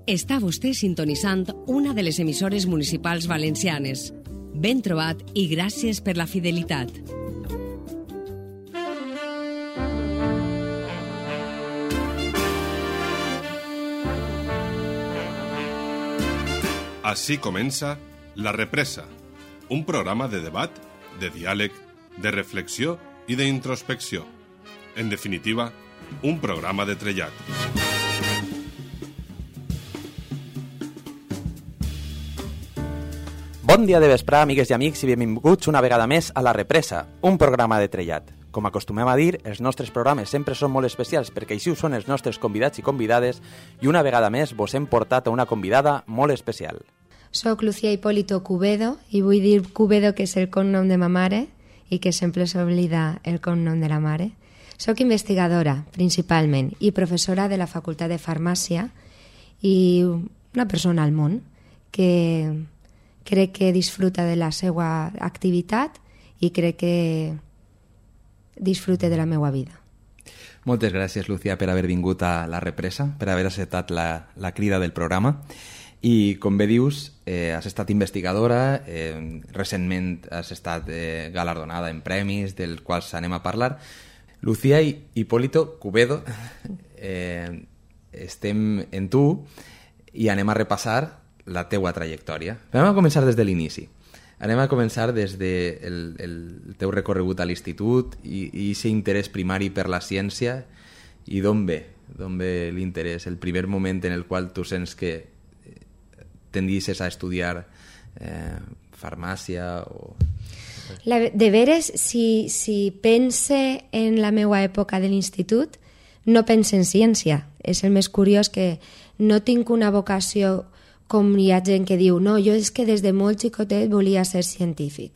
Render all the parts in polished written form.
Està vostè sintonitzant una de les emissores municipals valencianes. Ben trobat i gràcies per la fidelitat. Així comença La Represa, un programa de debat, de diàleg, de reflexió i d'introspecció. En definitiva, un programa de trellat. Bon dia de vesprà, amigues i amics, i benvinguts una vegada més a La Represa, un programa de trellat. Com acostumem a dir, els nostres programes sempre són molt especials perquè així ho són els nostres convidats i convidades i una vegada més vos hem portat a una convidada molt especial. Soc Lucía Hipólito Cubedo i vull dir Cubedo, que és el cognom de ma mare i que sempre s'oblida el cognom de la mare. Soc investigadora, principalment, i professora de la Facultat de Farmàcia i una persona al món que crec que disfruta de la seva activitat i crec que disfrute de la meva vida. Moltes gràcies, Lucía, per haver vingut a La Represa, per haver acceptat la crida del programa. I, com bé dius, has estat investigadora, recentment has estat galardonada en premis, dels quals anem a parlar. Lucía Hipólito Cubedo, estem en tu i anem a repassar la teua trajectòria. Anem a començar des de l'inici. Anem a començar des del teu recorregut a l'institut i aquest interès primari per la ciència. I d'on ve? D'on ve l'interès? El primer moment en el qual tu sents que tendisses a estudiar farmàcia o... De veres, si pense en la meva època de l'institut, no pense en ciència. És el més curiós, que no tinc una vocació com hi ha gent que diu, no, jo és que des de molt xicotet volia ser científic.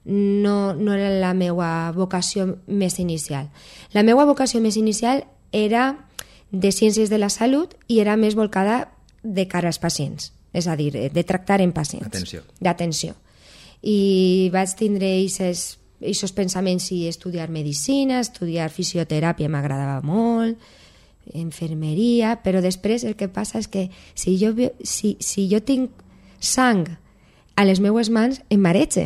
No era la meva vocació més inicial. La meva vocació més inicial era de ciències de la salut i era més volcada de cara als pacients, és a dir, de tractar en pacients. D'atenció. I vaig tindre aquests pensaments i estudiar medicina, estudiar fisioteràpia m'agradava molt, infermeria, però després el que passa és que si jo tinc sang a les meues mans, em marege.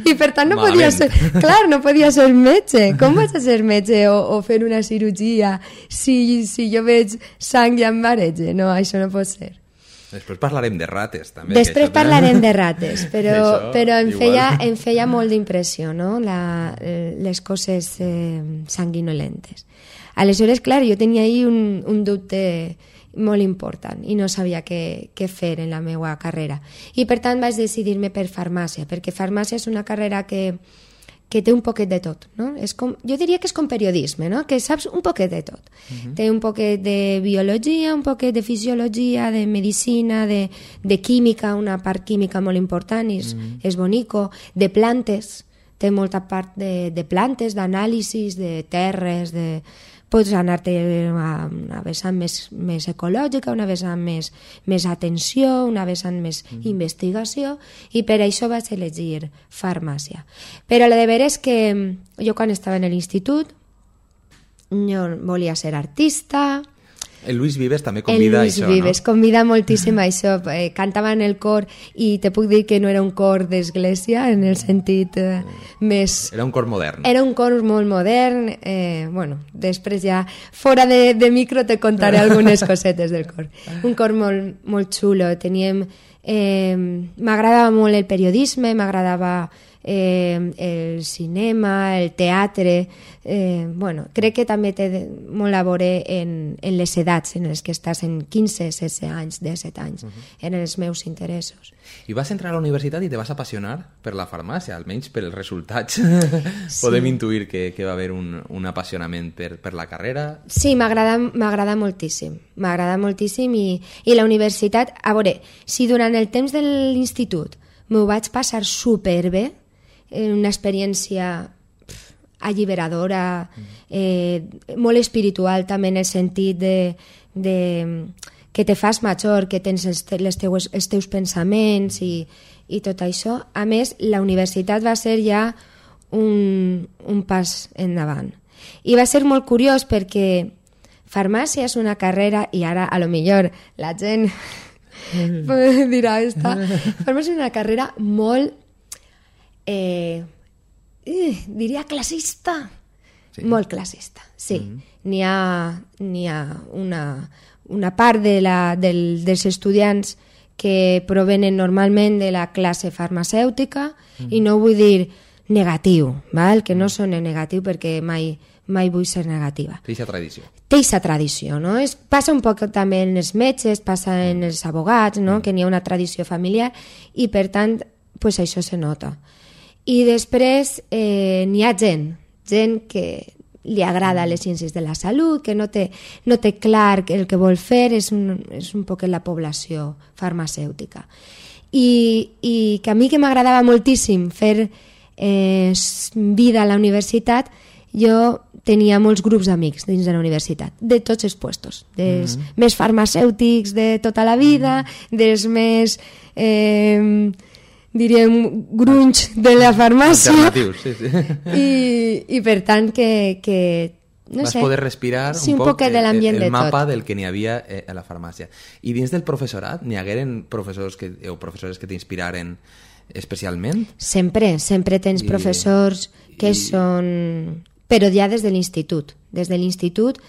I per tant no podia ser metge. Com vaig a ser metge o fer una cirurgia si jo veig sang i em marege? No, això no pot ser. Després parlarem de rates, també. Després parlarem de rates, però em feia molt d'impressió, no? Les coses sanguinolentes. Aleshores, clar, jo tenia ahí un dubte molt important i no sabia què fer en la meva carrera. I per tant vaig decidir-me per farmàcia, perquè farmàcia és una carrera que té un poquet de tot, no? Jo diria que és com periodisme, no? Que saps un poquet de tot. Té un poquet de biologia, un poquet de fisiologia, de medicina, de química, una part química molt important, és bonico, de plantes, té molta part de plantes, d'anàlisis, de terres, pots anar-te a una vessant més ecològica, una vessant més atenció, una vessant més investigació, i per això vaig elegir farmàcia. Però la de veres és que jo quan estava en l'institut jo volia ser artista. El Luis Vives també convida a això, no? El Luis Vives convida moltíssim a això. Cantava en el cor i te puc dir que no era un cor d'església en el sentit més... Era un cor modern. Era un cor molt modern. Bueno, després ja fora de micro te contaré algunes cosetes del cor. Un cor molt, molt xulo. M'agradava molt el periodisme, m'agradava el cinema, el teatre. Crec que també té molt a veure en les edats en les que estàs, en 15, 16 anys, 17 anys. Eren els meus interessos. I vas entrar a la universitat i te vas apassionar per la farmàcia, almenys per els resultats. Sí. Podem intuir que va haver un apassionament per la carrera. Sí, m'agrada moltíssim. M'agrada moltíssim i la universitat... A veure, si durant el temps de l'institut m'ho vaig passar superbé, una experiència alliberadora, molt espiritual també, en el sentit de que te fas major, que tens els teus pensaments i tot això. A més, la universitat va ser ja un pas endavant. I va ser molt curiós perquè farmàcia és una carrera, i ara a lo millor la gent dirà farmàcia és una carrera molt diria classista, molt classista, sí. N'hi ha una part dels estudiants que provenen normalment de la classe farmacèutica, i no vull dir negatiu, val? Que no sona negatiu perquè mai vull ser negativa. Té aquesta tradició. No? Passa un poc també en els metges, passa en els abogats, no? Que n'hi ha una tradició familiar, i per tant pues, això se nota. I després n'hi ha gent que li agrada les ciències de la salut, que no té clar el que vol fer, és un poc la població farmacèutica. I que a mi que m'agradava moltíssim fer vida a la universitat, jo tenia molts grups d'amics dins de la universitat, de tots els puestos, dels més farmacèutics de tota la vida, dels més, diríem, grunys de la farmàcia. Alternatius, sí. I per tant que no vas sé, poder respirar sí, un poc el mapa del que n'hi havia a la farmàcia. I dins del professorat n'hi hagueren professors o professores que t'inspiraren especialment? Sempre tens professors que són... Però ja des de l'institut. Des de l'institut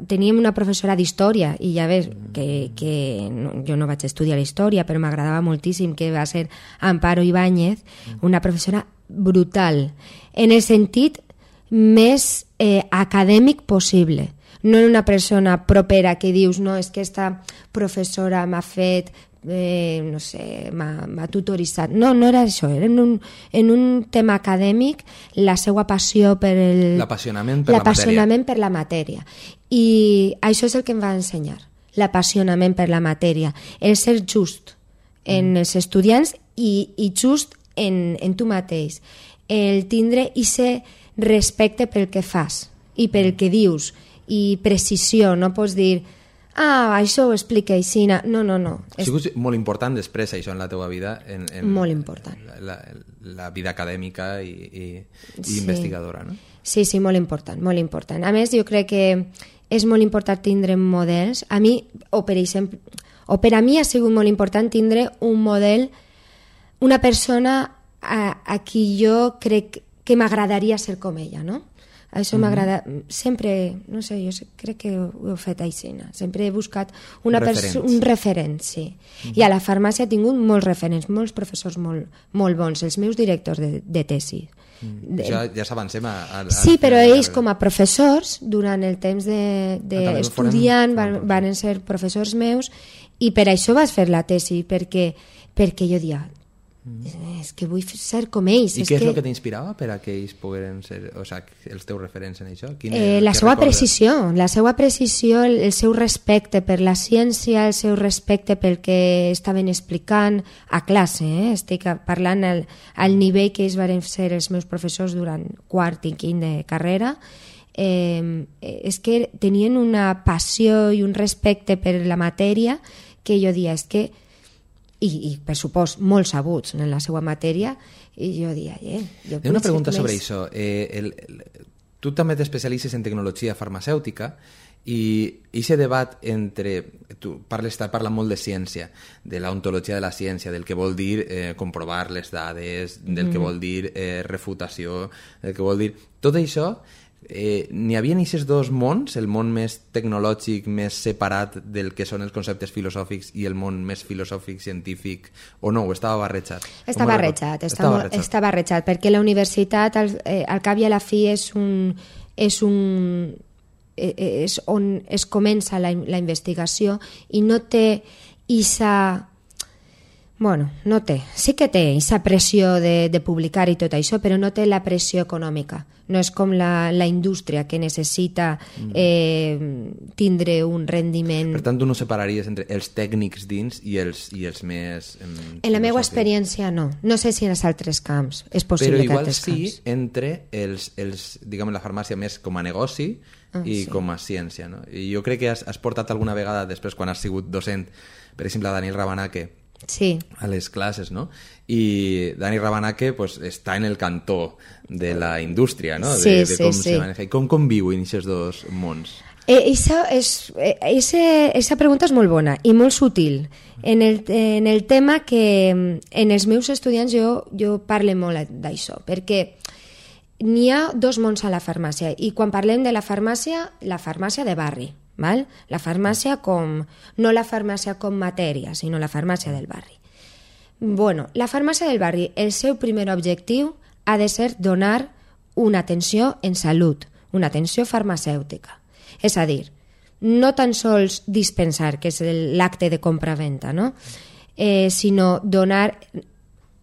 teníem una professora d'història, i ja ves que jo no vaig estudiar la història, però m'agradava moltíssim, que va ser Amparo Ibáñez, una professora brutal, en el sentit més acadèmic possible. No era una persona propera que dius, no, és que esta professora m'ha fet... no sé, m'ha tutoritzat. No era això, era en un tema acadèmic, la seva passió per l'apassionament per la matèria. I això és el que em va ensenyar, l'apassionament per la matèria, el ser just en els estudiants i just en tu mateix, el tindre ese respecte pel que fas i pel que dius, i precisió. No pots dir això ho explica així. No. Ha sigut molt important després això en la teva vida, molt important. La vida acadèmica i investigadora, no? Sí, molt important, molt important. A més, jo crec que és molt important tindre models. A mi, per a mi ha sigut molt important tindre un model, una persona a qui jo crec que m'agradaria ser com ella, no? Això m'agrada, sempre, no sé, jo crec que ho he fet així, sempre he buscat un referent, sí. I a la farmàcia he tingut molts referents, molts professors molt bons, els meus directors de tesi. Ja s'avancem sí, però ells com a professors, durant el temps d'estudiant, van ser professors meus, i per això vas fer la tesi, perquè jo dia és que vull ser com ells. I què és el que t'inspirava per a que ells pogueren ser, o sigui, els teus referents en això? La seva precisió, el seu respecte per la ciència, el seu respecte pel que estaven explicant a classe. Estic parlant al nivell que ells van ser els meus professors durant quart i quint de carrera. És que tenien una passió i un respecte per la matèria que jo dia, és que i per supost molt sabuts en la seva matèria, i jo diria una pregunta sobre això. Tu també t'especialitzes en tecnologia farmacèutica, i aquest debat entre tu parles molt de ciència, de l'ontologia de la ciència, del que vol dir comprovar les dades, del que vol dir refutació, del que vol dir tot això. N'hi havia aquests dos mons, el món més tecnològic, més separat del que són els conceptes filosòfics, i el món més filosòfic, científic, o no? O estava barrejat? Està barrejat, perquè la universitat al cap i a la fi és on es comença la investigació, i no té sí que té aquesta pressió de publicar i tot això, però no té la pressió econòmica. No és com la indústria, que necessita tindre un rendiment. Per tant, tu no separaries entre els tècnics dins i els més... En la meva experiència, no. No sé si en els altres camps és possible. Però igual sí entre diguem, la farmàcia més com a negoci i com a ciència, no? I jo crec que has portat alguna vegada, després, quan has sigut docent, per exemple, a Daniel Rabanà, que Sí. A les classes, no? I Dani Rabanake pues, està en el cantó de la indústria, no? Sí, de com se maneja. I com conviu en aquests dos mons? Esa pregunta és molt bona i molt sutil. En el tema que en els meus estudiants jo parlo molt d'això, perquè n'hi ha dos mons a la farmàcia, i quan parlem de la farmàcia de barri, val? La farmàcia no la farmàcia com matèria, sinó la farmàcia del barri. Bueno, la farmàcia del barri, el seu primer objectiu ha de ser donar una atenció en salut, una atenció farmacèutica. És a dir, no tan sols dispensar, que és l'acte de compra-venta, no? Sinó donar...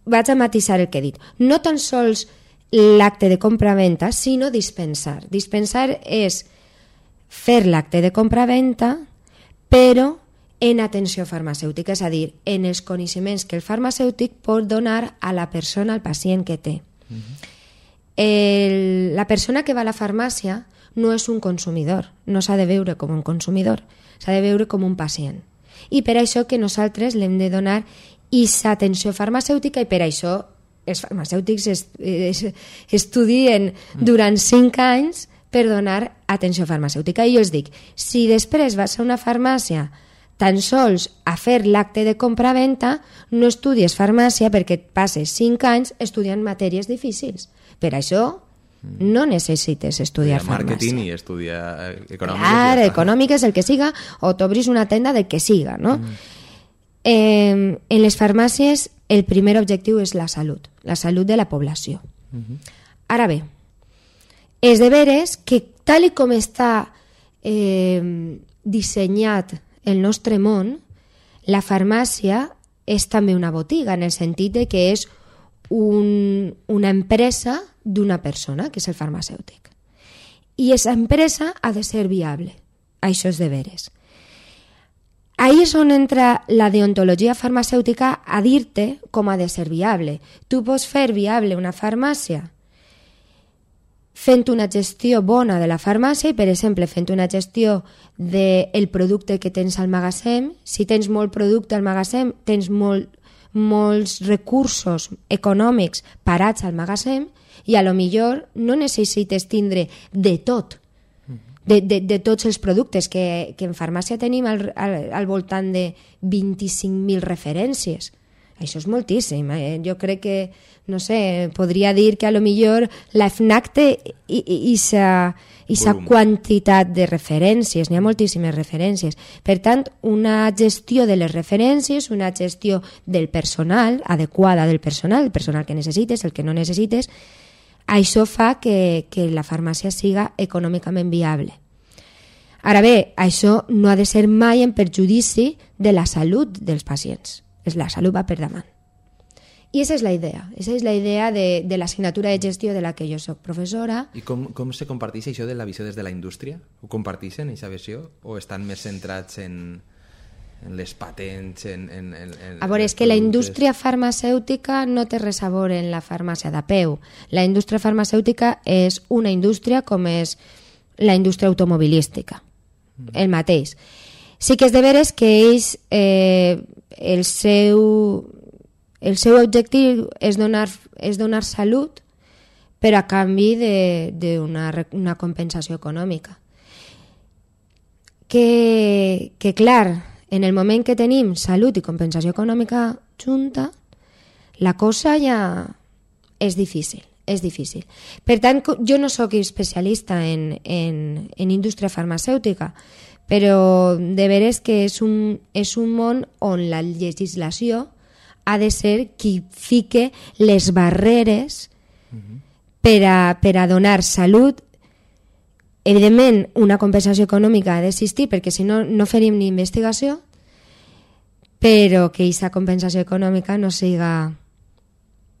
Vaig a matisar el que he dit. No tan sols l'acte de compra-venta, sinó dispensar. Dispensar és fer l'acte de compra-venta, però en atenció farmacèutica, és a dir, en els coneixements que el farmacèutic pot donar a la persona, al pacient que té. La persona que va a la farmàcia no és un consumidor, no s'ha de veure com un consumidor, s'ha de veure com un pacient. I per això que nosaltres l'hem de donar aquesta atenció farmacèutica, i per això els farmacèutics estudien durant 5 anys per donar atenció farmacèutica. I jo els dic, si després vas a una farmàcia tan sols a fer l'acte de compra-venta, no estudies farmàcia perquè et passes 5 anys estudiant matèries difícils. Per això no necessites estudiar farmàcia. Marketing i estudiar econòmiques. Clar, econòmiques, el que siga, o t'obris una tenda del que siga, no? En les farmàcies el primer objectiu és la salut de la població. Ara bé, és de veres que tal com està dissenyat el nostre món, la farmàcia és també una botiga, en el sentit de que és una empresa d'una persona, que és el farmacèutic. I aquesta empresa ha de ser viable. Això és de veres. Ahí és on entra la deontologia farmacèutica a dir-te com ha de ser viable. Tu pots fer viable una farmàcia fent una gestió bona de la farmàcia i, per exemple, fent una gestió del producte que tens al magatzem. Si tens molt producte al magatzem, tens molts recursos econòmics parats al magatzem, i a lo millor no necessites tindre de tot, de tots els productes, que en farmàcia tenim al voltant de 25.000 referències. Això és moltíssim. Jo crec que, no sé, podria dir que a lo millor la FNAC té aquesta quantitat de referències, n'hi ha moltíssimes referències. Per tant, una gestió de les referències, una gestió del personal, adequada del personal, el personal que necessites, el que no necessites, això fa que la farmàcia siga econòmicament viable. Ara bé, això no ha de ser mai en perjudici de la salut dels pacients. La salut va per davant. I aquesta és la idea de l'assignatura de gestió de la que jo soc professora. I com se comparteix això de la visió des de la indústria? Ho comparteixen, aquesta visió? O estan més centrats en les patents? A veure, és que la indústria farmacèutica no té res a veure en la farmàcia de peu. La indústria farmacèutica és una indústria com és la indústria automobilística. El mateix. Sí que és de veres que ells, el seu objectiu és donar salut, però a canvi d'una compensació econòmica. Que clar, en el moment que tenim salut i compensació econòmica junta, la cosa ja és difícil. Per tant, jo no sóc especialista en indústria farmacèutica, però de veres que és un món on la legislació ha de ser qui fique les barreres per a donar salut. Evidentment, una compensació econòmica ha d'existir, perquè si no, no faríem ni investigació, però que aquesta compensació econòmica no siga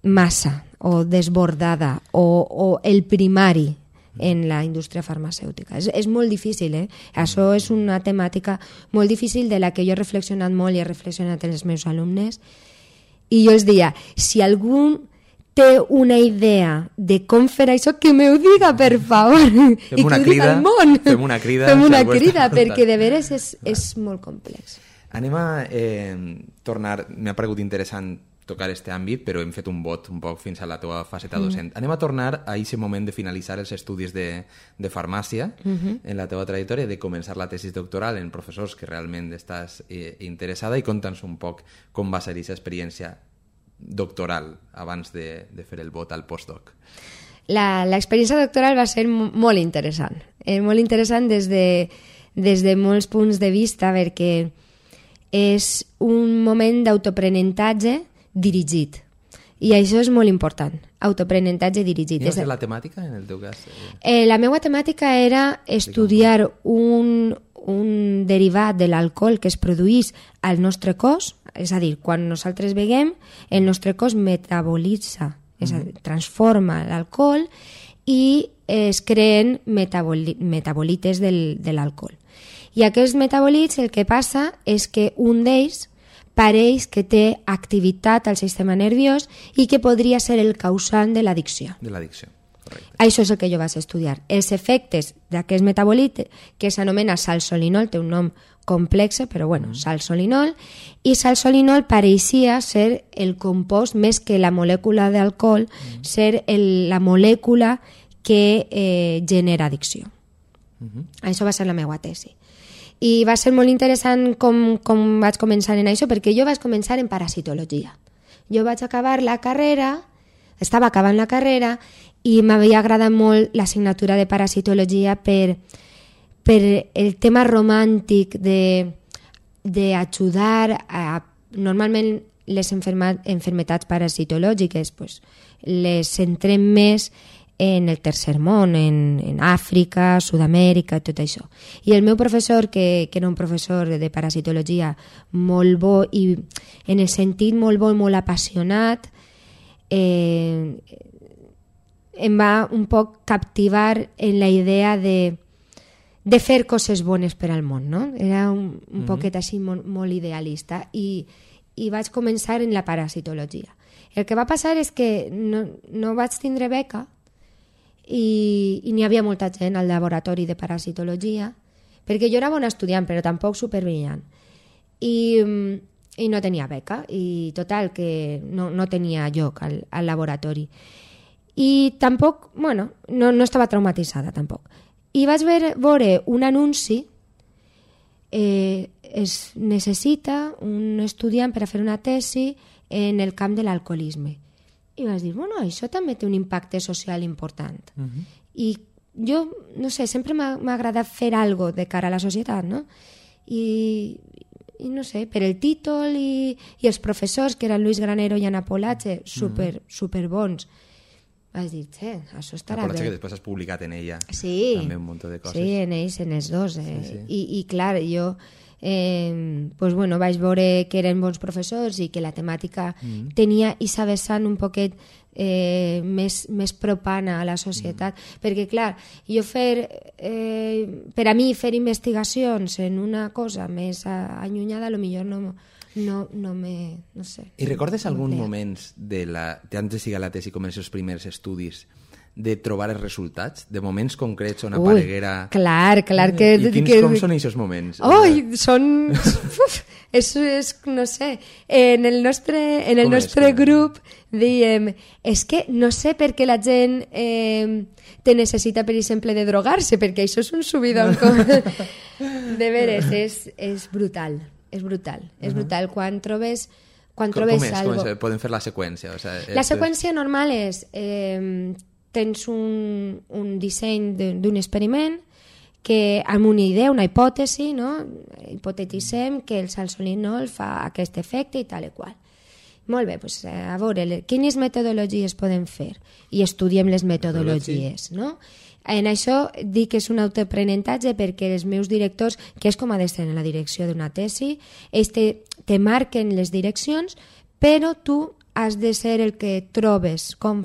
massa o desbordada o el primari en la indústria farmacèutica. És molt difícil, Això és una temàtica molt difícil de la que jo he reflexionat molt i he reflexionat amb els meus alumnes, i jo els diria, si algú té una idea de com fer això, que me ho diga, per favor, i que ho diga al món. Fem una crida. Perquè de veres és molt complex. Anem a tornar... M'ha paregut interessant tocar este àmbit, però hem fet un bot un poc fins a la teva faceta docent. Anem a tornar a aquest moment de finalitzar els estudis de farmàcia en la teva trajectòria, de començar la tesis doctoral en professors que realment estàs interessada, i conta'ns un poc com va ser aquesta experiència doctoral abans de fer el vot al postdoc. L'experiència doctoral va ser molt interessant. Molt interessant des de molts punts de vista, perquè és un moment d'autoaprenentatge dirigit. I això és molt important, autoaprenentatge dirigit. Quina va ser la temàtica, en el teu cas? La meva temàtica era estudiar un derivat de l'alcohol que es produís al nostre cos, és a dir, quan nosaltres beguem, el nostre cos metabolitza, és a dir, transforma l'alcohol i es creen metabolites de l'alcohol. I aquests metabòlits, el que passa és que un d'ells pareix que té activitat al sistema nerviós i que podria ser el causant de l'addicció. De l'addicció, correcte. Això és el que jo vaig estudiar. Els efectes d'aquest metabòlit, que s'anomena salsolinol, té un nom complex, però bueno, salsolinol, i salsolinol pareixia ser el compost, més que la molècula d'alcohol, ser la molècula que genera addicció. Això va ser la meva tesi. I va ser molt interessant com vaig començar en això, perquè jo vaig començar en parasitologia. Jo vaig acabar la carrera, estava acabant la carrera, i m'havia agradat molt l'assignatura de parasitologia per el tema romàntic d'ajudar a... Normalment les enfermetats parasitològiques les centrem més en el tercer món, en Àfrica, Sud-amèrica, tot això. I el meu professor, que era un professor de parasitologia molt bo i en el sentit molt bo i molt apassionat, em va un poc captivar en la idea de fer coses bones per al món, no? Era un poquet així molt idealista i vaig començar en la parasitologia. El que va passar és que no vaig tindre beca i n'hi havia molta gent al laboratori de parasitologia, perquè jo era bona estudiant però tampoc superbrillant, i no tenia beca, i total que no tenia lloc al laboratori, i tampoc, bueno, no estava traumatitzada tampoc, i vaig veure un anunci, es necessita un estudiant per a fer una tesi en el camp de l'alcoholisme. I vaig dir, bueno, això també té un impacte social important. I jo, no sé, sempre m'ha agradat fer alguna cosa de cara a la societat, no? I no sé, per el títol i els professors, que eren Luis Granero i Ana Polache, super bons, vaig dir, això estarà bé. Que després has publicat en ella també un munt de coses. Sí, en ells, en els dos. Sí. I clar, jo vaig veure que eren bons professors i que la temàtica tenia aquesta vessant un poquet més propana a la societat, perquè clar, jo per a mi fer investigacions en una cosa més allunyada, potser no sé. I recordes algun moment tant de siga la tesi com els seus primers estudis, de trobar els resultats, de moments concrets on apareguera... Clar que... I com són aquests moments? Són... és, no sé, en el nostre grup diem, és que no sé per què la gent te necessita, per exemple, de drogar-se, perquè això és un subidón. De veres, és brutal. És brutal. Quan trobes algo... Podem fer la seqüència? La seqüència normal és... tens un disseny d'un experiment que amb una idea, una hipòtesi, no? Hipotetitzem que el salsolinol fa aquest efecte i tal i qual. Molt bé, doncs a veure, quines metodologies podem fer? I estudiem les metodologies, no? En això dic que és un autoaprenentatge perquè els meus directors, que és com ha d'estar en la direcció d'una tesi, ells te marquen les direccions, però tu has de ser el que trobes com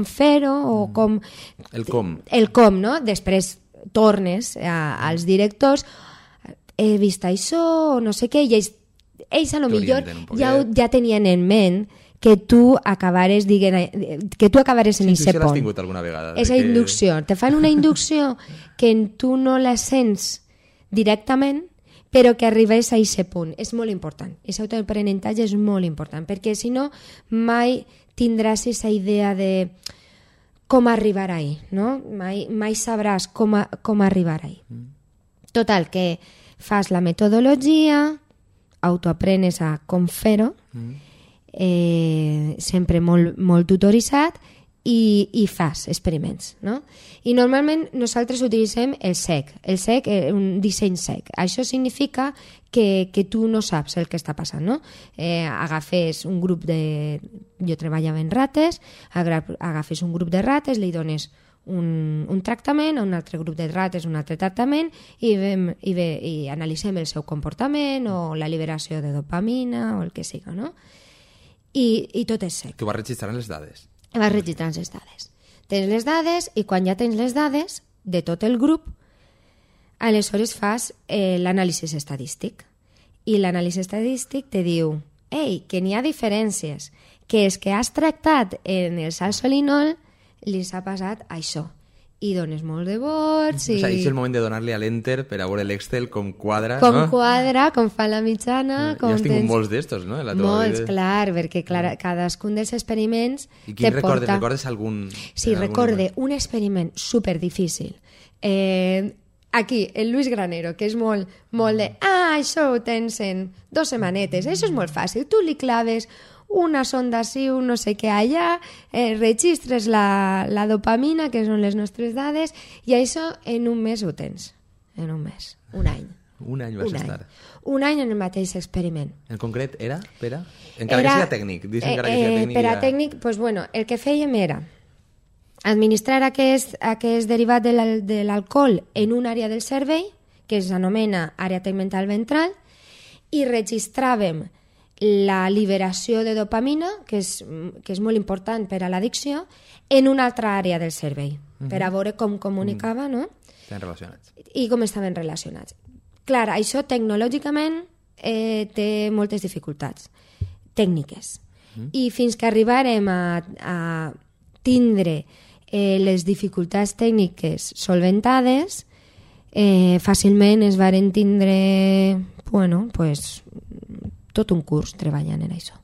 fer-ho o com... El com. El com, no? Després tornes als directors, he vist això o no sé què, i ells a lo millor ja tenien en ment que tu acabares en aquest pont. L'has tingut alguna vegada. És inducció. Te fan una inducció que tu no la sents directament, però que arribés a aquest punt. És molt important. Aquest autoaprenentatge és molt important, perquè si no mai tindràs aquesta idea de com arribar ahí, no? Mai sabràs com arribar ahí. Total, que fas la metodologia, autoaprenes a com fer-ho, sempre molt tutoritzat, i fas experiments, no? I normalment nosaltres utilitzem el SEC. El SEC és un disseny SEC. Això significa que tu no saps el que està passant, no? Agafes un grup de... Jo treballava en rates, agafes un grup de rates, li dones un tractament, a un altre grup de rates un altre tractament i analitzem el seu comportament o la liberació de dopamina o el que siga, no? I tot és SEC. Tu vas registrant les dades. Vas registrant les dades. Tens les dades i quan ja tens les dades de tot el grup, aleshores fas l'anàlisi estadístic. I l'anàlisi estadístic te diu que n'hi ha diferències, que és que has tractat en el salsolinol li s'ha passat això. I dones molt de vots. O sigui, és el moment de donar-li a l'enter per a veure l'Excel com quadra, com no? quadra, com fa la mitjana. Ja has tingut molts d'estos, no? Molts, clar, perquè cadascun dels experiments I quin recordes? Recordes algun? Sí, recorde un experiment superdifícil. Aquí, el Luis Granero, que és molt de... això ho tens en 2 setmanetes. Això és molt fàcil. Tu li claves una sonda així, un no sé què allà, registres la dopamina, que són les nostres dades, i això en un mes ho tens. En un mes. Un any. Un any vas estar. Un any en el mateix experiment. En concret era? Encara que sigui tècnic. Per a tècnic, doncs, bueno, el que fèiem era administrar aquest derivat de l'alcohol en una àrea del cervell, que s'anomena àrea tegmental ventral, i registràvem la liberació de dopamina, que és molt important per a l'addicció, en una altra àrea del cervell, per a veure com comunicava, no? Estaven relacionats. I com estaven relacionats. Clar, això tecnològicament té moltes dificultats tècniques. I fins que arribarem a tindre les dificultats tècniques solventades, fàcilment es varen tindre, bueno, pues, tot un curs treballant en això.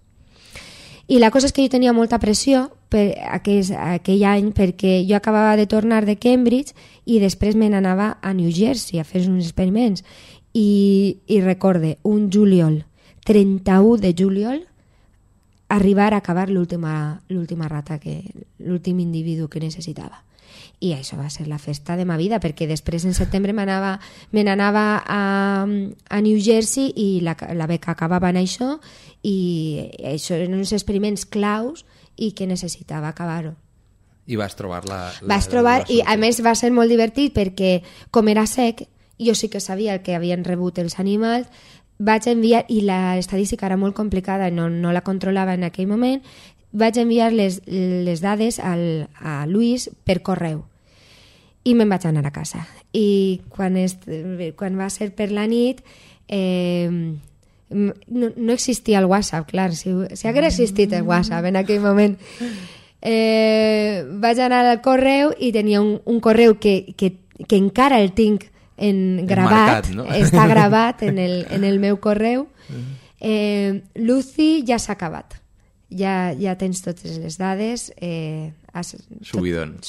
I la cosa és que jo tenia molta pressió aquell any perquè jo acabava de tornar de Cambridge i després me n'anava a New Jersey a fer uns experiments i recorde un juliol, 31 de juliol, arribar a acabar l'última rata, l'últim individu que necessitava. I això va ser la festa de ma vida, perquè després en setembre me n'anava a New Jersey i la beca acabava en això, i això eren uns experiments claus i que necessitava acabar-ho. I vas trobar Vas trobar, i a més va ser molt divertit perquè com era sec, jo sí que sabia el que havien rebut els animals, vaig enviar, i l'estadística era molt complicada, no la controlava en aquell moment, vaig enviar les dades a Luis per correu i me'n vaig anar a casa. I quan va ser per la nit no existia el WhatsApp, clar, si hagués existit el WhatsApp en aquell moment, vaig anar al correu i tenia un correu que encara el tinc gravat, no? Està gravat en el meu correu. Lucy, ja s'ha acabat. Ja tens totes les dades. Subidon.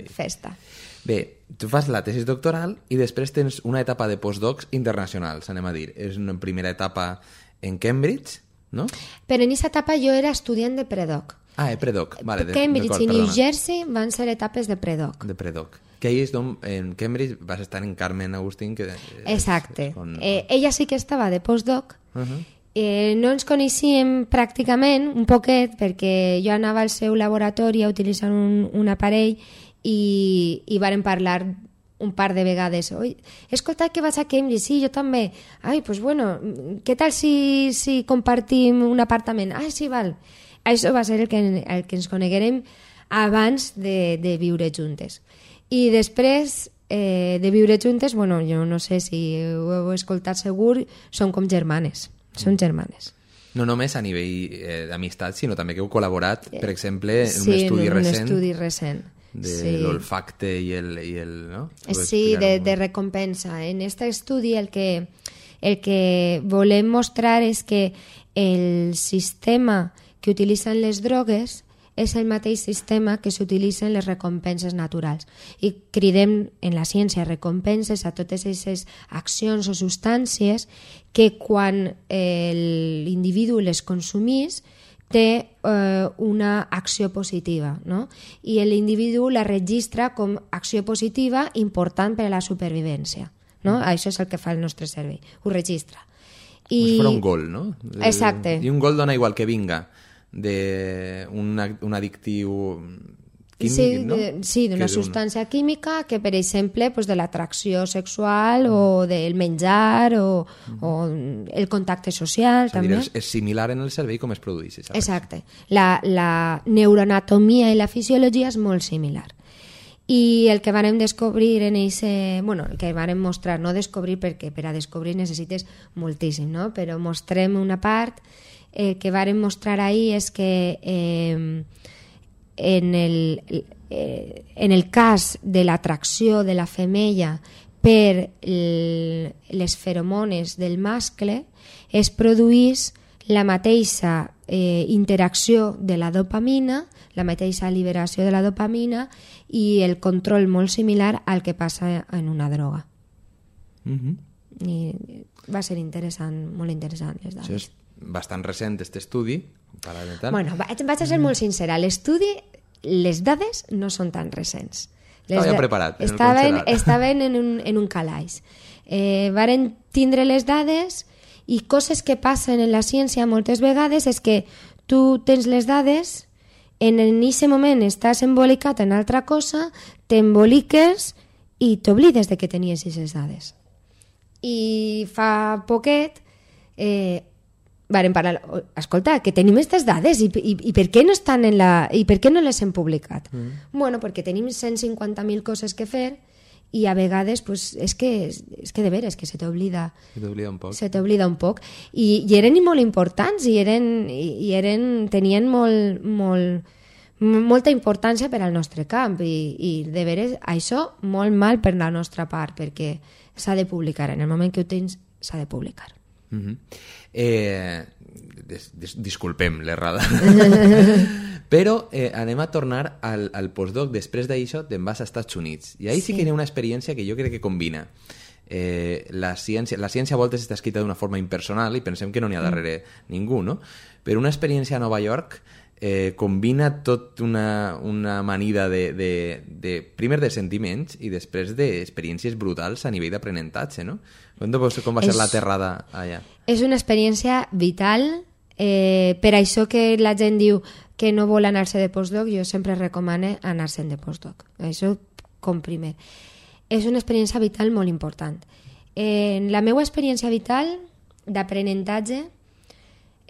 Festa. Bé, tu fas la tesis doctoral i després tens una etapa de postdocs internacionals, anem a dir. És una primera etapa en Cambridge, no? Però en aquesta etapa jo era estudiant de predoc. Predoc. Vale, Cambridge i New Jersey van ser etapes de predoc. De predoc. Que ahí és d'on en Cambridge vas estar en Carmen Agustín. Exacte. Ella sí que estava de postdoc. No ens coneixíem pràcticament, un poquet, perquè jo anava al seu laboratori utilitzant un aparell i vàrem parlar un par de vegades. He escoltat que vas a Cambridge, sí, jo també. Pues bueno, què tal si compartim un apartament? Sí, val. Això va ser el que ens coneguérem abans de viure juntes. I després de viure juntes, bueno, jo no sé si ho heu escoltat segur, són com germanes. Són germanes. No només a nivell d'amistat, sinó també que heu col·laborat, per exemple, en un estudi recent. En un estudi recent. de l'olfacte i el no? Sí, de recompensa. En aquest estudi el que volem mostrar és que el sistema que utilitzen les drogues és el mateix sistema que s'utilitzen les recompenses naturals. I cridem en la ciència recompenses a totes aquestes accions o substàncies que quan l'individu les consumís té una acció positiva, no? I l'individu la registra com acció positiva important per a la supervivència. No? Això és el que fa el nostre cervell, ho registra. Com si fos un gol, no? Exacte. I un gol dona igual que vinga d'un addictiu químic, no? Sí, d'una substància química que, per exemple, de l'atracció sexual o del menjar o el contacte social, també. És similar en el cervell com es produeix. Exacte. La neuroanatomia i la fisiologia és molt similar. I el que vàrem descobrir en el que vàrem mostrar, no descobrir perquè per a descobrir necessites moltíssim, no? Però mostrem una part. El que vàrem mostrar ahir és que en el cas de l'atracció de la femella per les feromones del mascle es produís la mateixa interacció de la dopamina, la mateixa alliberació de la dopamina i el control molt similar al que passa en una droga. I va ser interessant, molt interessant les dades. Això és bastant recent, aquest estudi. Bueno, vaig a ser molt sincera. L'estudi, les dades no són tan recents. Estava ja preparat. Estaven en un calaix. Varen tindre les dades i coses que passen en la ciència moltes vegades és que tu tens les dades, en aquest moment estàs embolicat en altra cosa, t'emboliques i t'oblides de que tenies aquestes dades. I fa poquet varen parlar, escolta, que tenim aquestes dades i per què no estan i per què no les hem publicat? Bueno, perquè tenim 150.000 coses que fer i a vegades és que de veres que se t'oblida un poc i eren molt importants i tenien molta importància per al nostre camp i de veres això molt mal per la nostra part perquè s'ha de publicar, en el moment que ho tens s'ha de publicar. Disculpem l'errada. Però anem a tornar al postdoc. Després d'això te'n vas als Estats Units i ahí sí que hi ha una experiència que jo crec que combina la ciència a voltes està escrita d'una forma impersonal i pensem que no n'hi ha darrere ningú, no? Però una experiència a Nova York combina tot una amanida primer de sentiments i després d'experiències brutals a nivell d'aprenentatge, no? Com va ser l'aterrada allà? És una experiència vital. Per això que la gent diu que no vol anar-se de postdoc, jo sempre recomano anar-se'n de postdoc. Això com primer. És una experiència vital molt important. En la meva experiència vital d'aprenentatge,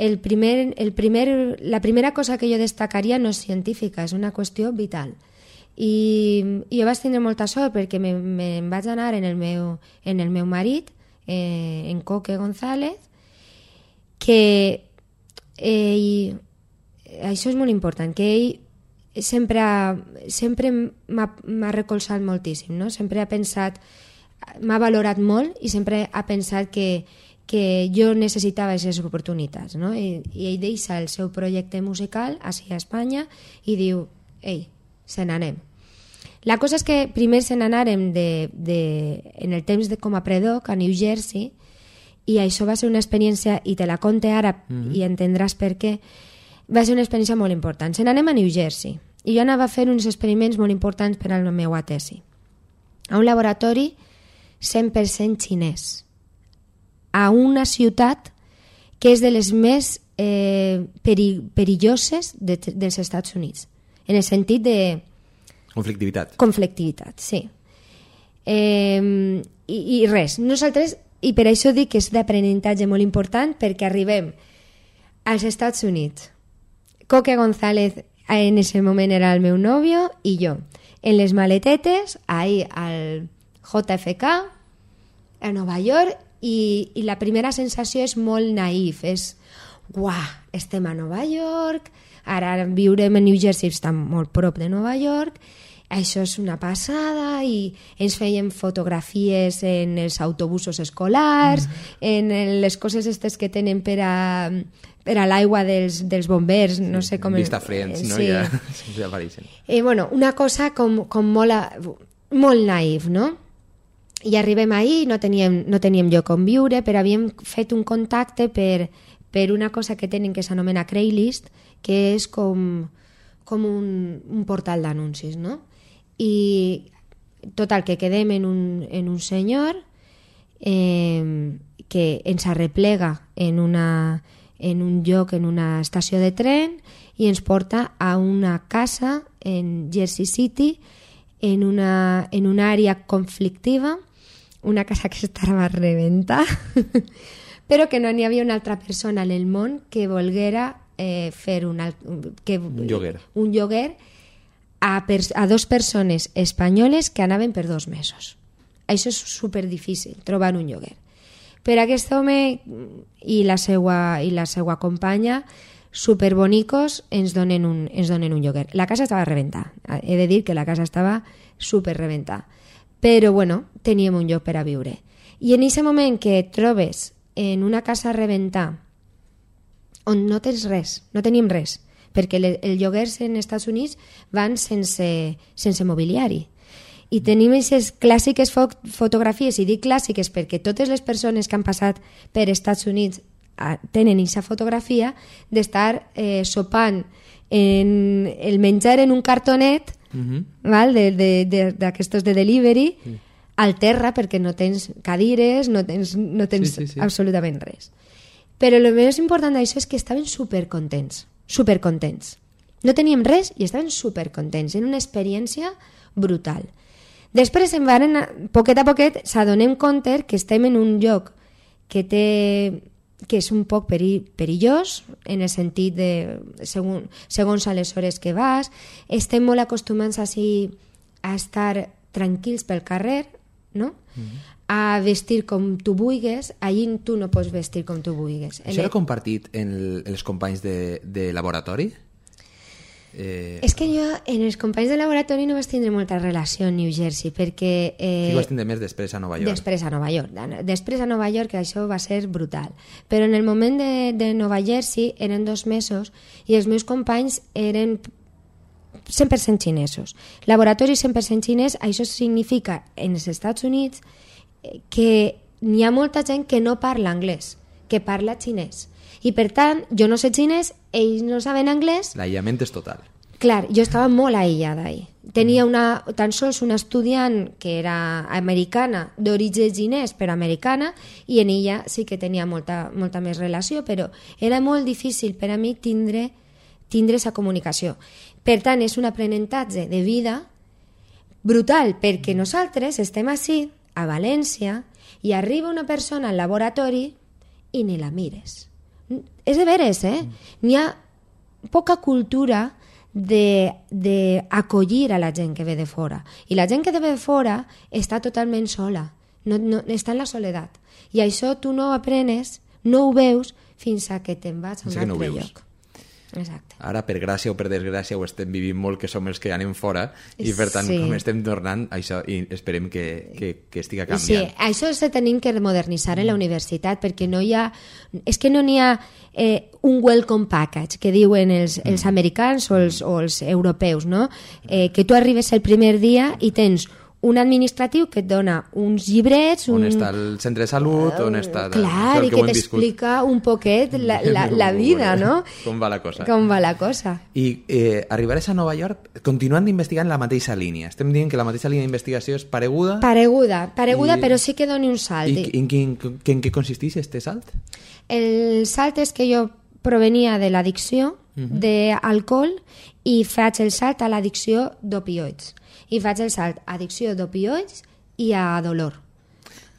la primera cosa que jo destacaria no és científica, és una qüestió vital. I jo vaig tindre molta sort perquè me'n vaig anar en el meu marit, en Coque González, que ell, això és molt important, que ell sempre m'ha recolzat moltíssim, no? Sempre ha pensat, m'ha valorat molt i sempre ha pensat que jo necessitava aquestes oportunitats, no? I ell deixa el seu projecte musical així a Espanya i diu, ei, se n'anem. La cosa és que primer se n'anàrem en el temps com a predoc a New Jersey i això va ser una experiència, i te la conte ara i entendràs per què, va ser una experiència molt important. Se n'anem a New Jersey i jo anava a fer uns experiments molt importants per a la meva tesi. A un laboratori 100% xinès, a una ciutat que és de les més perilloses dels Estats Units, en el sentit de... Conflictivitat, sí. I res, nosaltres, i per això dic que és d'aprenentatge molt important, perquè arribem als Estats Units. Coque González en ese moment era el meu nòvio i jo, en les maletetes, ahí al JFK, a Nova York, i la primera sensació és molt naïf, és, uah, estem a Nova York, ara viurem a New Jersey, està molt prop de Nova York, això és una passada, i ens feien fotografies en els autobusos escolars, en les coses estes que tenen per a l'aigua dels bombers, no sé com... Vista Friends, no? Sí. Ja apareixen. Bueno, una cosa com molt naïf, no? I arribem ahir, no teníem lloc on viure, però havíem fet un contacte per una cosa que tenen que s'anomena Craigslist, que és com un portal d'anuncis, no? I total, que quedem en un senyor que ens arreplega en un lloc, en una estació de tren, i ens porta a una casa en Jersey City, en una àrea conflictiva, una casa que estava a rebentar, però que no n'hi havia una altra persona en el món que volguera fer un lloguer a dos persones espanyoles que anaven per 2 mesos. Això és superdifícil, trobar un lloguer. Per aquest home i la seva companya, superbonicos, ens donen un lloguer. La casa estava a rebentar. He de dir que la casa estava superrebentada. Però, bueno, teníem un lloc per a viure. I en aquest moment que et trobes en una casa a rebentar, on no tens res, no tenim res, perquè els lloguers en Estats Units van sense mobiliari. I tenim aquestes clàssiques fotografies, i dic clàssiques perquè totes les persones que han passat per Estats Units tenen aquesta fotografia d'estar sopant el menjar en un cartonet, val? D'aquestos de delivery, al terra, perquè no tens cadires, no tens absolutament res. Però el més important d'això és que estaven supercontents. No teníem res i estaven supercontents. Era una experiència brutal. Després, poquet a poquet, s'adonem compte que estem en un lloc que és un poc perillós, en el sentit de segons a les hores que vas. Estem molt acostumats a estar tranquils pel carrer, no? A vestir com tu vulguis. Allí tu no pots vestir com tu vulguis. Això era compartit en els companys de laboratori? És que jo en els companys de laboratori no vaig tindre molta relació a New Jersey, perquè... Sí, vas tindre més després a Nova York. Després a Nova York, això va ser brutal. Però en el moment de Nova Jersey eren 2 mesos i els meus companys eren 100% xinesos. Laboratori 100% xinès, això significa en els Estats Units que n'hi ha molta gent que no parla anglès, que parla xinès. I per tant, jo no sé xinès, ells no saben anglès. L'aïllament és total. Clar, jo estava molt aïllada ahí. Tenia tan sols una estudiant que era americana, d'origen xinès, però americana, i en ella sí que tenia molta més relació, però era molt difícil per a mi tindre aquesta comunicació. Per tant, és un aprenentatge de vida brutal, perquè nosaltres estem ací, a València, i arriba una persona al laboratori i ni la mires. És de veres, N'hi ha poca cultura d'acollir a la gent que ve de fora. I la gent que ve de fora està totalment sola, no està en la soledat. I això tu no ho aprenes, no ho veus, fins a que te'n vas a un altre lloc. Exacte. Ara, per gràcia o per desgràcia, ho estem vivint molt, que som els que anem fora, i per tant, com estem tornant, això, i esperem que estiga canviant. Sí, això se tenim que modernitzar en la universitat, perquè no hi ha... És que no n'hi ha un welcome package, que diuen els americans o els europeus, no? Que tu arribes el primer dia i tens un administratiu que et dona uns llibrets... On està el centre de salut, on està... Clar, i que t'explica un poquet la vida, no? Com va la cosa. I arribaràs a Nova York continuant d'investigar en la mateixa línia. Estem dient que la mateixa línia d'investigació és pareguda? Pareguda, però sí que doni un salt. I en què consisteix este salt? El salt és que jo provenia de l'addicció d'alcohol i faig el salt a l'addicció d'opioids. I faig el salt a addicció d'opioids i a dolor.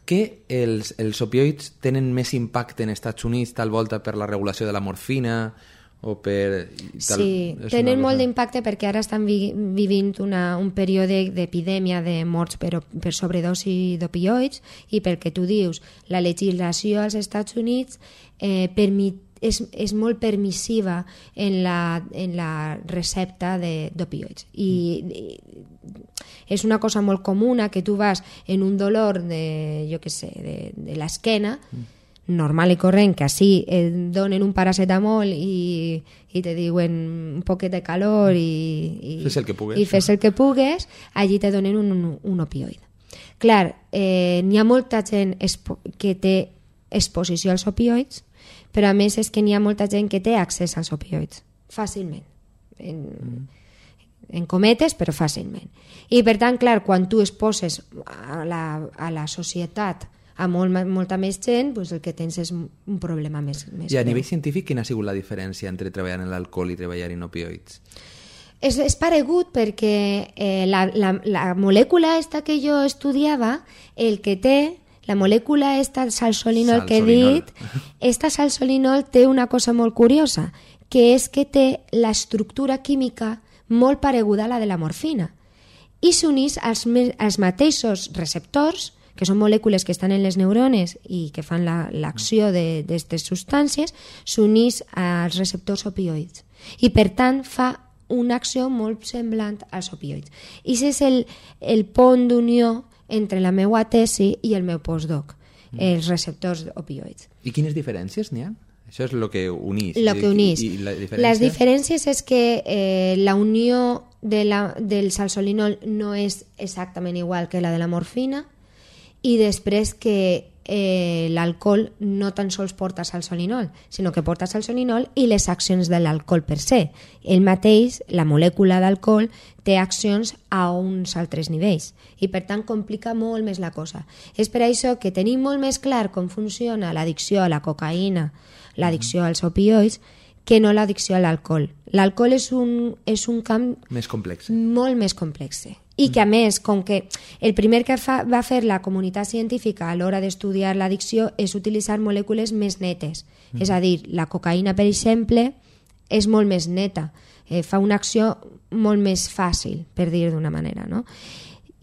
Que els opioids tenen més impacte en Estats Units tal volta per la regulació de la morfina o per... Sí, tenen molt d'impacte perquè ara estan vivint un període d'epidèmia de morts per sobredosi d'opioids, i pel que tu dius, la legislació als Estats Units és molt permissiva en la recepta d'opioids. I és una cosa molt comuna que tu vas en un dolor de l'esquena, normal i corrent, que així et donen un paracetamol i te diuen un poquet de calor i fes el que pugues, i fes el que pugues, allí te donen un opioide. Clar, n'hi ha molta gent que té exposició als opioids, però a més és que n'hi ha molta gent que té accés als opioids fàcilment, en cometes, però fàcilment. I per tant, clar, quan tu exposes a la societat a molta més gent, doncs el que tens és un problema més I a nivell científic, quina ha sigut la diferència entre treballar en l'alcohol i treballar en opioids? És paregut perquè la molècula esta que jo estudiava, el que té, la molècula esta salsolinol que he dit, esta salsolinol té una cosa molt curiosa, que és que té l'estructura química molt pareguda a la de la morfina i s'unís als mateixos receptors, que són molècules que estan en les neurones i que fan l'acció d'aquestes substàncies, s'unís als receptors opioids. I per tant fa una acció molt semblant als opioids. I aquest és el pont d'unió entre la meva tesi i el meu postdoc, els receptors opioids. I quines diferències n'hi ha? Això és el que unís. Lo que unís. I la diferència? Les diferències és que la unió del salsolinol no és exactament igual que la de la morfina, i després que l'alcohol no tan sols porta salsolinol, sinó que porta salsolinol i les accions de l'alcohol per se. El mateix, la molècula d'alcohol, té accions a uns altres nivells i per tant complica molt més la cosa. És per això que tenim molt més clar com funciona l'addicció a la cocaïna, l'addicció als opioids, que no l'addicció a l'alcohol. L'alcohol és un camp més complex. Molt més complex. I que a més, com que el primer que va fer la comunitat científica a l'hora d'estudiar l'addicció és utilitzar molècules més netes. És a dir, la cocaïna, per exemple, és molt més neta, fa una acció molt més fàcil, per dir d'una manera, no?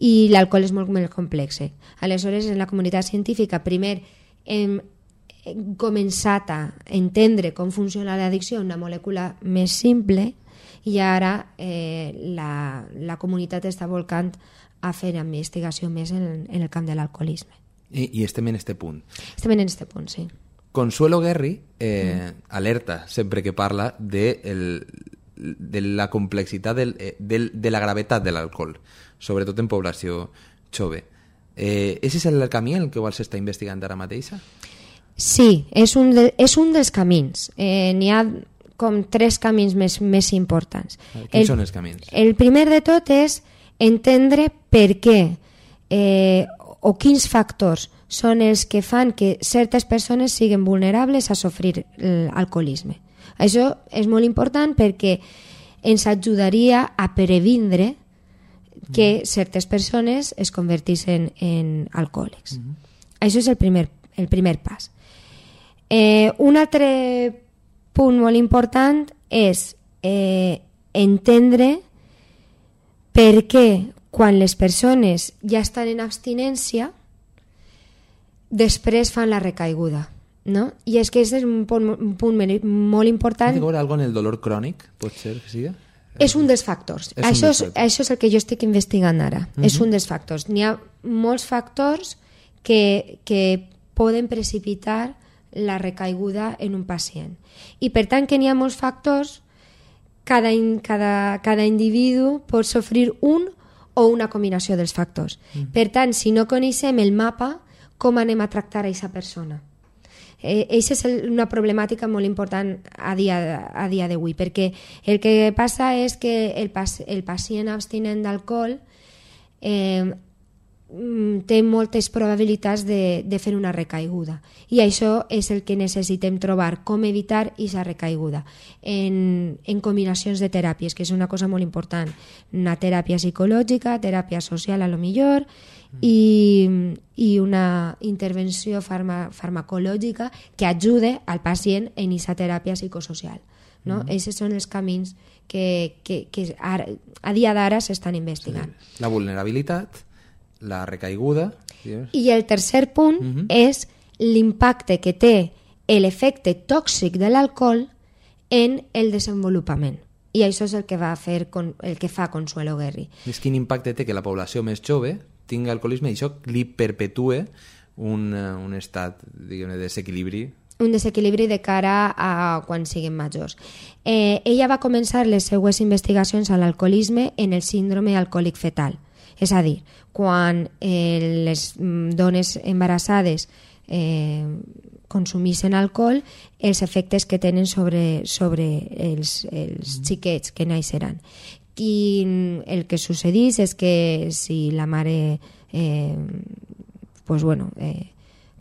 I l'alcohol és molt més complex. Aleshores, en la comunitat científica, primer hem començat a entendre com funciona l'addicció, una molècula més simple, i ara la comunitat està volcant a fer investigació més en el camp de l'alcoholisme. I estem en este punt. Estem en este punt, sí. Consuelo Guerri alerta sempre que parla de la complexitat, de la gravetat de l'alcohol, sobretot en població jove. És el camí en el que vols estar investigant ara mateixa? Sí, és un dels camins. N'hi ha com 3 camins més importants. Quins són els camins? El primer de tot és entendre per què o quins factors són els que fan que certes persones siguin vulnerables a sofrir l'alcoholisme. Això és molt important perquè ens ajudaria a previndre que certes persones es convertissin en alcohòlics. Això és el primer pas. Un altre punt molt important és entendre per què quan les persones ja estan en abstinència després fan la recaiguda, no? I és que aquest és un punt molt important. Té que veure alguna cosa en el dolor crònic, pot ser que sigui? És un dels factors. Això és el que jo estic investigant ara. És un dels factors. N'hi ha molts factors que poden precipitar la recaiguda en un pacient. I per tant que n'hi ha molts factors, cada individu pot sofrir un o una combinació dels factors. Per tant, si no coneixem el mapa, com anem a tractar a aquesta persona? Això és una problemàtica molt important a dia d'avui, perquè el que passa és que el pacient abstinent d'alcohol té moltes probabilitats de fer una recaiguda, i això és el que necessitem trobar, com evitar aquesta recaiguda en combinacions de teràpies, que és una cosa molt important, una teràpia psicològica, teràpia social a lo millor, i una intervenció farmacològica que ajude al pacient en aquesta teràpia psicosocial, no? Aquests són els camins que a dia d'ara s'estan investigant. Sí. La vulnerabilitat, la recaiguda... I el tercer punt és l'impacte que té l'efecte tòxic de l'alcohol en el desenvolupament. I això és el que fa Consuelo Guerri. És quin impacte té que la població més jove tingui alcoholisme i això li perpetue un estat, diguem-ne, de desequilibri. Un desequilibri de cara a quan siguin majors. Ella va començar les seues investigacions a l'alcoholisme en el síndrome alcohòlic fetal. És a dir, quan les dones embarassades consumeixen alcohol, els efectes que tenen sobre els xiquets que naixeran. I el que sucedís és que si la mare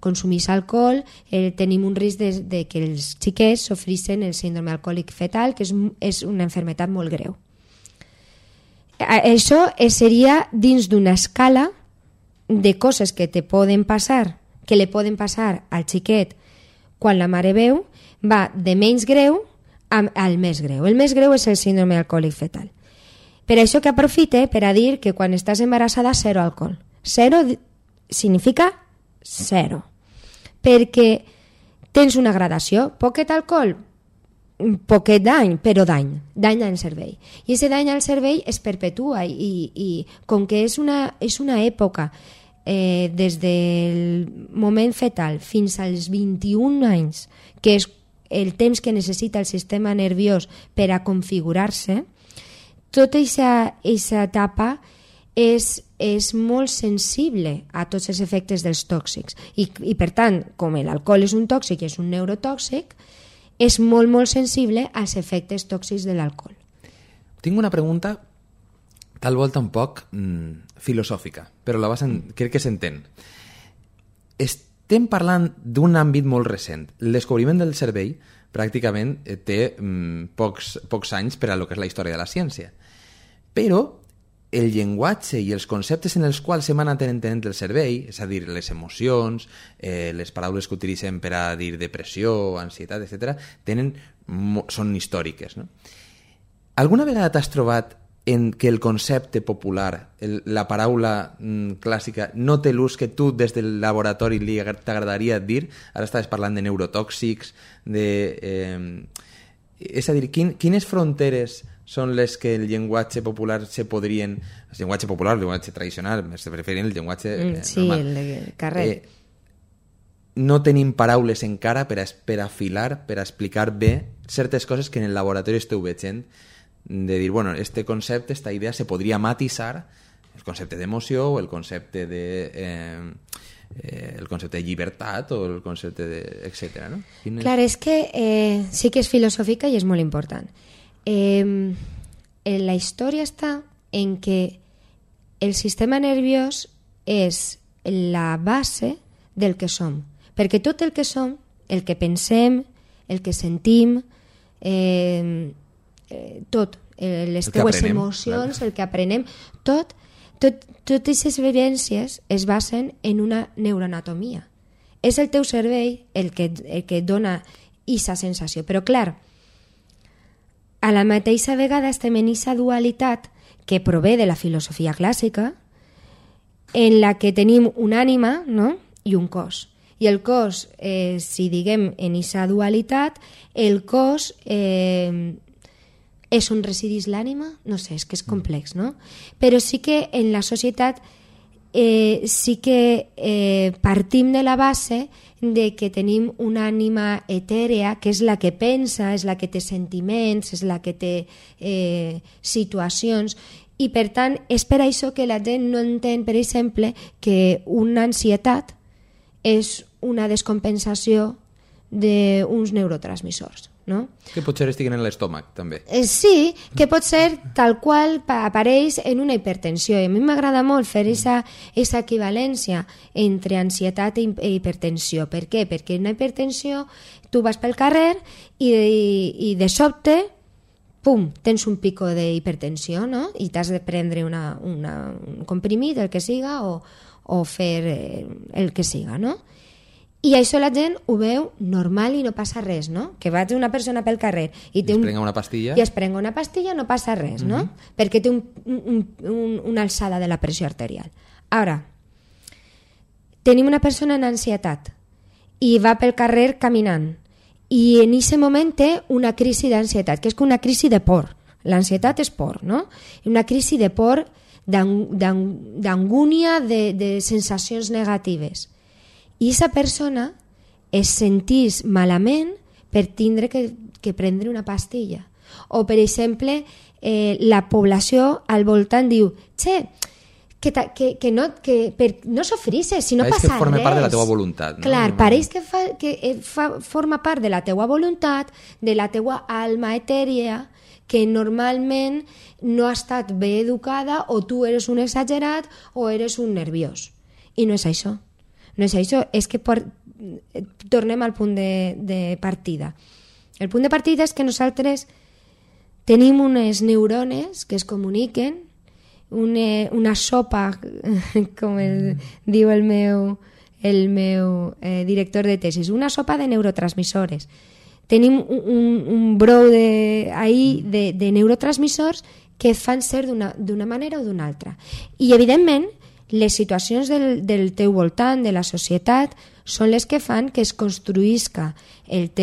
consumís alcohol, tenim un risc de que els xiquets sofreixen el síndrome alcohòlic fetal, que és una malaltia molt greu. Això seria dins d'una escala de coses que te poden passar, que li poden passar al xiquet quan la mare beu, va de menys greu al més greu. El més greu és el síndrome alcohòlic fetal. Per això que aprofite per a dir que quan estàs embarassada, zero alcohol. Zero significa zero. Perquè tens una gradació. Poquet alcohol, poquet dany, però dany al cervell. I aquest dany al cervell es perpetua i com que és una època des del moment fetal fins als 21 anys, que és el temps que necessita el sistema nerviós per a configurar-se, tota aquesta etapa és molt sensible a tots els efectes dels tòxics i per tant, com l'alcohol és un tòxic i és un neurotòxic, és molt, molt sensible als efectes tòxics de l'alcohol. Tinc una pregunta tal volta un poc filosòfica, però crec que s'entén. Estem parlant d'un àmbit molt recent. El descobriment del cervell pràcticament té pocs anys per a lo que és la història de la ciència. Però el llenguatge i els conceptes en els quals s'hem anat entenent el cervell, és a dir, les emocions, les paraules que utilitzem per a dir depressió, ansietat, etc., són històriques. No? Alguna vegada t'has trobat en que el concepte popular, la paraula clàssica, no té l'ús que tu des del laboratori t'agradaria dir? Ara estaves parlant de neurotòxics, és a dir, quines fronteres són les que el llenguatge popular se podrien... El llenguatge popular, el llenguatge tradicional, se preferien el llenguatge normal. Sí, el carrer. No tenim paraules encara per a afilar, per a explicar bé certes coses que en el laboratori esteu veient, de dir, bueno, este concepte, esta idea se podria matisar, el concepte d'emoció o el concepte de llibertat o el concepte de... etcètera, no? Clar, és que sí que és filosòfica i és molt important. La història està en que el sistema nerviós és la base del que som, perquè tot el que som, el que pensem, el que sentim, tot, les teues emocions, el que aprenem, totes aquestes vivències es basen en una neuroanatomia. És el teu cervell el que dona aquesta sensació. Però clar, a la mateixa vegada estem en aquesta dualitat que prové de la filosofia clàssica, en la que tenim una ànima, no?, i un cos. I el cos, si diguem en aquesta dualitat, el cos és on resideix l'ànima? No sé, és que és complex, no? Però sí que en la societat sí que partim de la base de que tenim una ànima etèrea, que és la que pensa, és la que té sentiments, és la que té situacions, i per tant és per això que la gent no entén, per exemple, que una ansietat és una descompensació d'uns neurotransmissors, no? Que potser estiguen en l'estómac, també. Sí, que pot ser tal qual apareix en una hipertensió. I a mi m'agrada molt fer aquesta equivalència entre ansietat i hipertensió. Per què? Perquè en una hipertensió tu vas pel carrer i de sobte, pum, tens un pico d'hipertensió, no? I t'has de prendre un comprimit, el que siga, o fer el que siga, no? I això la gent ho veu normal i no passa res, no? Que vaig una persona pel carrer i es prenga una pastilla. I es prenga una pastilla, no passa res, no? Perquè té una alçada de la pressió arterial. Ara, tenim una persona en ansietat i va pel carrer caminant. I en aquest moment té una crisi d'ansietat, que és una crisi de por. L'ansietat és por, no? Una crisi de por, d'angúnia, de sensacions negatives. I aquesta persona es sentís malament per tindre que prendre una pastilla. O, per exemple, la població al voltant diu que no sofrisses, si no passa res. Pareix que forma part de la teua voluntat. No? Clar, pareix que forma part de la teua voluntat, de la teua alma etèria, que normalment no ha estat bé educada, o tu eres un exagerat o eres un nerviós. I no és això. No és això, és que tornem al punt de partida. El punt de partida és que nosaltres tenim unes neurones que es comuniquen, una sopa, com diu el meu director de tesis, una sopa de neurotransmissores. Tenim un brou de neurotransmissors que fan ser d'una manera o d'una altra. I, evidentment, les situacions del teu voltant, de la societat, són les que fan que es construïsca les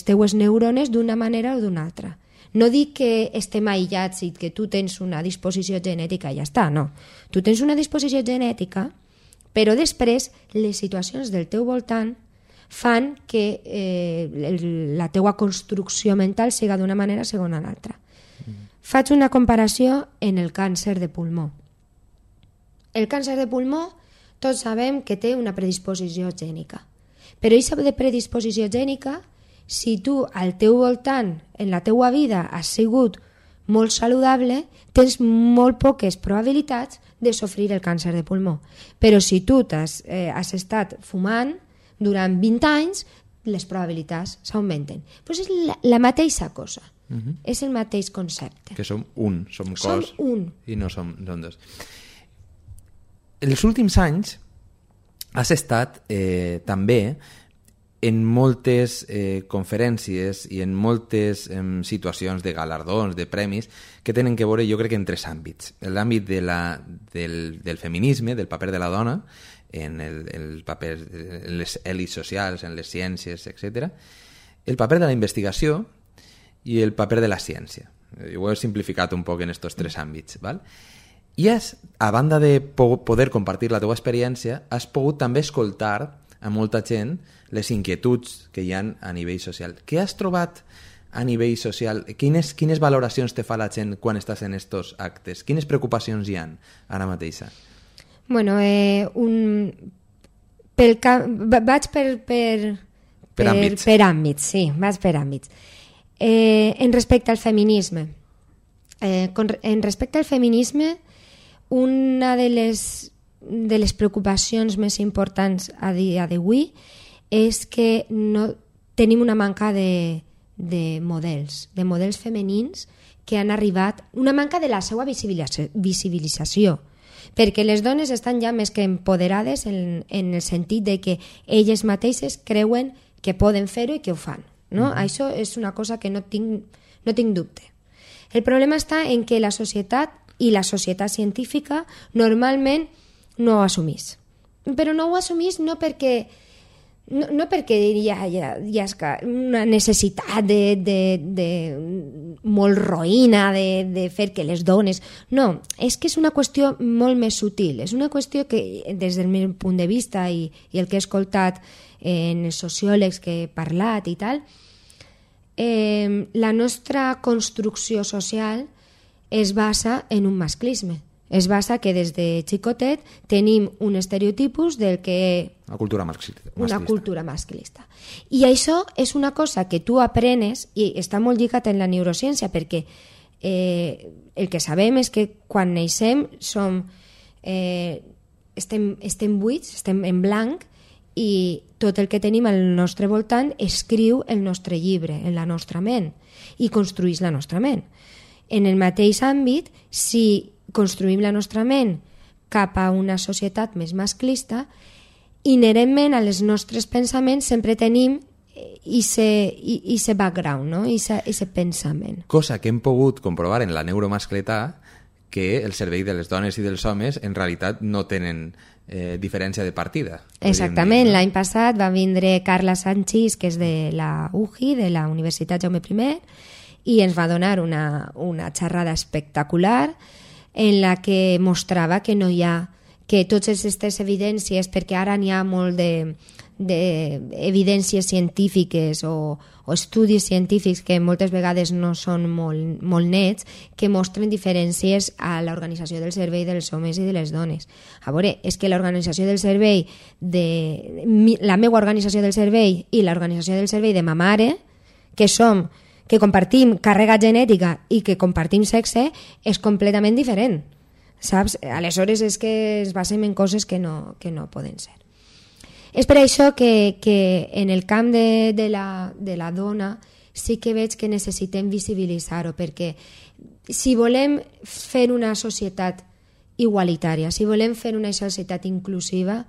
teues neurones d'una manera o d'una altra. No dic que estem aïllats i que tu tens una disposició genètica i ja està, no. Tu tens una disposició genètica, però després les situacions del teu voltant fan que la teua construcció mental siga d'una manera segons l'altra. Faig una comparació en el càncer de pulmó. El càncer de pulmó tots sabem que té una predisposició gènica. Però aquesta predisposició gènica, si tu al teu voltant, en la teua vida, has sigut molt saludable, tens molt poques probabilitats de sofrir el càncer de pulmó. Però si tu has estat fumant durant 20 anys, les probabilitats s'augmenten. Pues és la mateixa cosa. És el mateix concepte. Que som un, som cos i no som dos. En els últims anys has estat també en moltes conferències i en moltes situacions de galardons, de premis, que tenen que veure, jo crec, en 3 àmbits. L'àmbit del feminisme, del paper de la dona, en el paper en les èlits socials, en les ciències, etc. El paper de la investigació i el paper de la ciència. Jo ho he simplificat un poc en aquests 3 àmbits, val? I a banda de poder compartir la teva experiència, has pogut també escoltar a molta gent les inquietuds que hi ha a nivell social. Què has trobat a nivell social? Quines valoracions te fa la gent quan estàs en aquests actes? Quines preocupacions hi ha ara mateixa? Bueno, vaig per àmbits, sí, vaig per àmbits. En respecte al feminisme, una de les preocupacions més importants a dia d'avui és que no tenim una manca de models femenins que han arribat, una manca de la seva visibilització, perquè les dones estan ja més que empoderades en el sentit de que elles mateixes creuen que poden fer-ho i que ho fan. No? Això és una cosa que no tinc dubte. El problema està en que la societat i la societat científica normalment no ho assumís. Però no ho assumís no perquè hi ha una necessitat molt roïna de fer que les dones... No, és que és una qüestió molt més sutil. És una qüestió que, des del meu punt de vista i el que he escoltat en els sociòlegs que he parlat i tal, la nostra construcció social es basa en un masclisme. Es basa que des de xicotet tenim un estereotipus del que... Una cultura masclista. Una cultura masclista. I això és una cosa que tu aprenes i està molt lligat en la neurociència, perquè el que sabem és que quan neixem estem buits, estem en blanc, i tot el que tenim al nostre voltant escriu el nostre llibre en la nostra ment i construïs la nostra ment. En el mateix àmbit, si construïm la nostra ment cap a una societat més masclista, inherentment a les nostres pensaments sempre tenim ese background, no? Ese pensament. Cosa que hem pogut comprovar en la neuromascletà, que el servei de les dones i dels homes en realitat no tenen diferència de partida. Exactament, l'any passat va vindre Carla Sanchis, que és de la UJI, de la Universitat Jaume I, i ens va donar una xerrada espectacular en la que mostrava que no hi ha, que totes aquestes evidències, perquè ara n'hi ha molt d'evidències científiques o estudis científics que moltes vegades no són molt nets, que mostren diferències a l'organització del servei dels homes i de les dones. A veure, és que l'organització del servei, la meva organització del servei i l'organització del servei de ma mare, que compartim càrrega genètica i que compartim sexe, és completament diferent. Saps? Aleshores és que es basem en coses que no poden ser. És per això que en el camp de la dona sí que veig que necessitem visibilitzar-ho, perquè si volem fer una societat igualitària, si volem fer una societat inclusiva,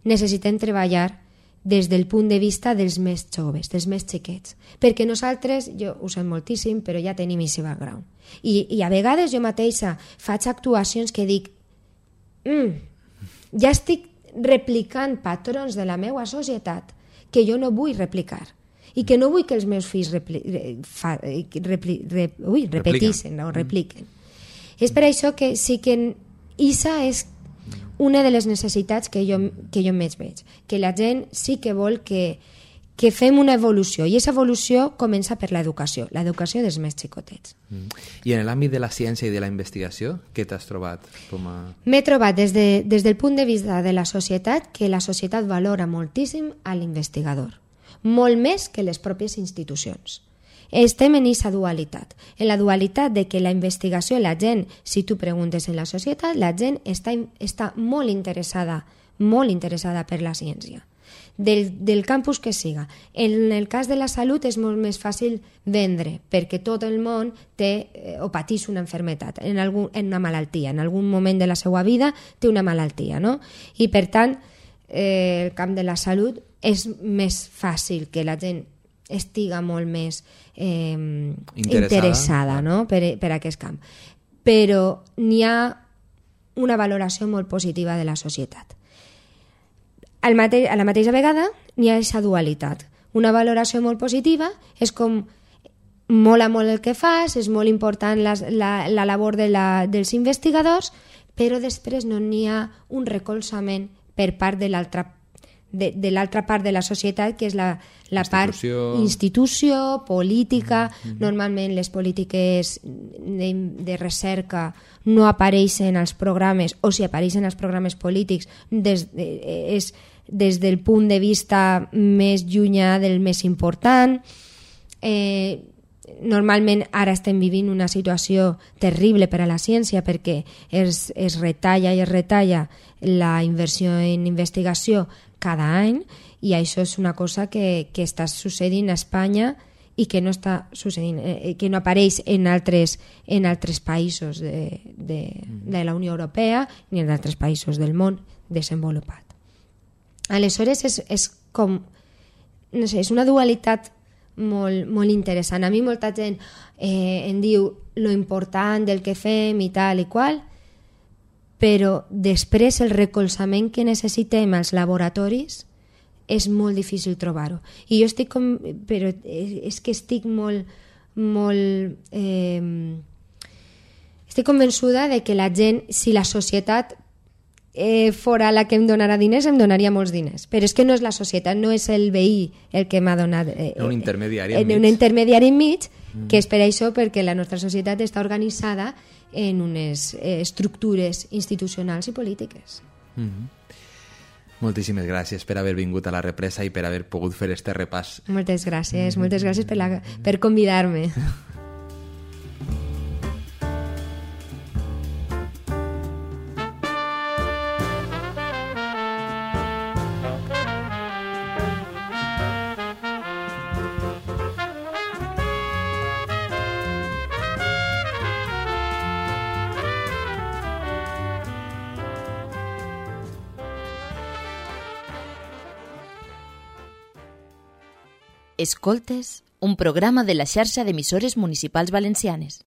necessitem treballar des del punt de vista dels més joves, dels més xiquets. Perquè nosaltres, jo ho sé moltíssim, però ja tenim aquest background. I a vegades jo mateixa faig actuacions que dic ja estic replicant patrons de la meva societat que jo no vull replicar i que no vull que els meus fills repliquen. És per això que sí que ISA és una de les necessitats que jo més veig, que la gent sí que vol que fem una evolució, i aquesta evolució comença per l'educació dels més xicotets. I en l'àmbit de la ciència i de la investigació, què t'has trobat? M'he trobat des del punt de vista de la societat que la societat valora moltíssim a l'investigador, molt més que les pròpies institucions. Estem en aquesta dualitat, en la dualitat de que la investigació, la gent, si tu preguntes en la societat, la gent està molt interessada per la ciència, del campus que siga. En el cas de la salut és molt més fàcil vendre, perquè tot el món té o pateix una malaltia, en una malaltia, en algun moment de la seva vida té una malaltia, no? I per tant, el camp de la salut és més fàcil que la gent estiga molt més interessada, no? per aquest camp. Però n'hi ha una valoració molt positiva de la societat. A la mateixa vegada n'hi ha aquesta dualitat. Una valoració molt positiva és com mola molt el que fas, és molt important la labor dels investigadors, però després no n'hi ha un recolzament per part de l'altra part de la societat, que és la part institució, política. Normalment les polítiques de recerca no apareixen als programes, o si apareixen als programes polítics és des del punt de vista més llunyà del més important. Normalment ara estem vivint una situació terrible per a la ciència, perquè es retalla la inversió en investigació cada any, i això és una cosa que està succeint a Espanya i que no està succeint, que no apareix en altres països de la Unió Europea ni en altres països del món desenvolupat. Aleshores és com, no sé, és una dualitat molt interessant. A mi molta gent em diu lo important del que fem i tal i qual, però després el recolzament que necessitem als laboratoris és molt difícil trobar-ho. I jo estic estic convençuda de que la gent, si la societat fora la que em donarà diners, em donaria molts diners. Però és que no és la societat, no és el veí el que m'ha donat... un intermediari enmig, que és per això perquè la nostra societat està organitzada en unes estructures institucionals i polítiques. Moltíssimes gràcies per haver vingut a La Represa i per haver pogut fer este repàs. Moltes gràcies per convidar-me. Escoltes, un programa de la xarxa d'emissores municipals valencianes.